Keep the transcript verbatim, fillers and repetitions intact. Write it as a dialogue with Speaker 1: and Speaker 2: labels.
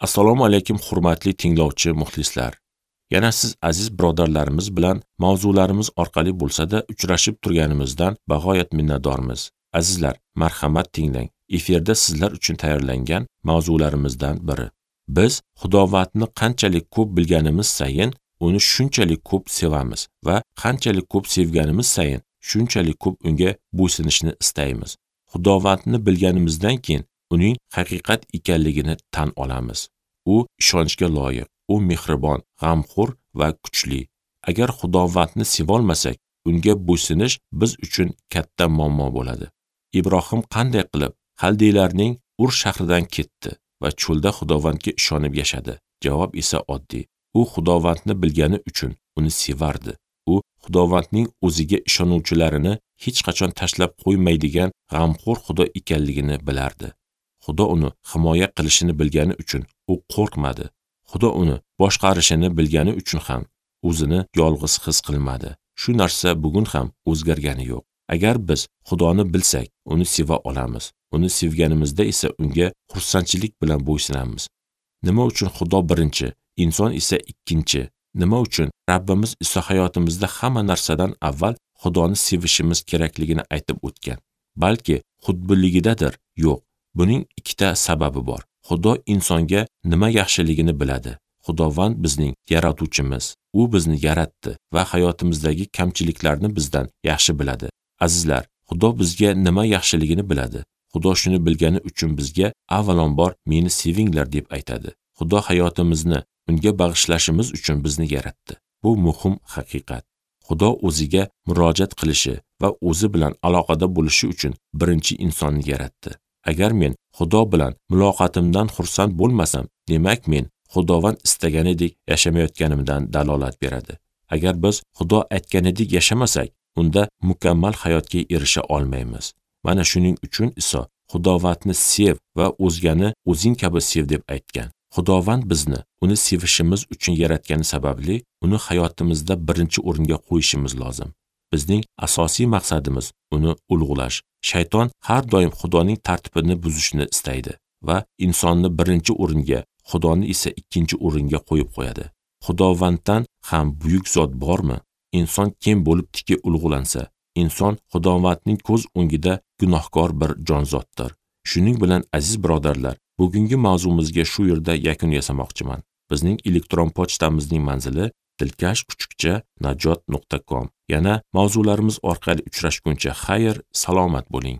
Speaker 1: Assalomu alaykum hurmatli tinglovchi muxlislar. Yana siz aziz birodarlarimiz bilan mavzularimiz orqali bo'lsa-da uchrashib turganimizdan bag'oyat minnatdormiz. Azizlar, marhamat tinglang. Efirda sizlar uchun tayyorlangan mavzularimizdan biri. Biz Xudovandni qanchalik ko'p bilganimiz sayin uni shunchalik ko'p sevamiz va qanchalik ko'p sevganimiz sayin shunchalik ko'p unga bo'ysunishni istaymiz. Xudovandni bilganimizdan keyin uning haqiqat ekanligini tan olamiz. U ishonchga loyiq, u mehribon, g'amxo'r va kuchli. Agar Xudovandni sevolmasak, unga bo'ysunish biz uchun katta muammo bo'ladi. Ibrohim qanday qilib Xaldeylarning Ur shahridan ketdi va cho'lda Xudovandga ishonib yashadi? Javob esa oddiy. U Xudovandni bilgani uchun uni sevardi. U Xudovandning o'ziga ishonuvchilarini hech qachon tashlab qo'ymaydigan g'amxo'r Xudo ekanligini bilardi. Xudo uni himoya qilishini bilgani uchun u qo'rqmadi. Xudo uni boshqarishini bilgani uchun ham o'zini yolg'iz his qilmadi. Shu narsa bugun ham o'zgargani yo'q. Agar biz Xudoni bilsak, uni seva olamiz. Uni sevganimizda esa unga xursandchilik bilan bo'ysunamiz. Nima uchun Xudo birinchi, inson esa ikkinchi? Nima uchun Rabbimiz Iso hayotimizda hamma narsadan avval Xudoni sevishimiz kerakligini aytib o'tgan? Balki xudbinligidadir? Yo'q. Buning ikkita sababi bor. Xudo insonga nima yaxshiligini biladi. Xudovand bizning yaratuvchimiz. U bizni yaratdi va hayotimizdagi kamchiliklarni bizdan yaxshi biladi. Azizlar, Xudo bizga nima yaxshiligini biladi. Xudo shuni bilgani uchun bizga avvalambor meni sevinglar deb aytadi. Xudo hayotimizni unga bag'ishlashimiz uchun bizni yaratdi. Bu muhim haqiqat. Xudo o'ziga murojaat qilishi va o'zi bilan aloqada bo'lishi uchun birinchi insonni yaratdi. Agar men Xudo bilan muloqotimdan xursand bo'lmasam, demak men Xudovand istaganidek yashamayotganimdan dalolat beradi. Agar biz Xudo aytganidek yashamasak, unda mukammal hayotga erisha olmaymiz. Mana shuning uchun Iso Xudovandni sev va o'zgani o'zing kabi sev deb aytgan. Xudovand bizni uni sevishimiz uchun yaratgani sababli uni hayotimizda birinchi o'ringa qo'yishimiz lozim. Bizning asosiy maqsadimiz uni ulug'lash. Shayton har doim Xudoning tartibini buzishni istaydi va insonni birinchi o'ringa, Xudoni esa ikkinchi o'ringa qo'yib qo'yadi. Xudovanddan ham buyuk zot bormi? Inson kim bo'libdiki ulug'lansa? Inson Xudovandning ko'z o'ngida gunohkor bir jonzotdir. Shuning bilan aziz birodarlar, bugungi mavzumizga shu yerda yakun yasamoqchiman. Bizning elektron pochtamizning manzili dilkash kuchukcha najot nuqta com. Yana mavzularimiz orqali uchrashguncha xayr, salomat bo'ling.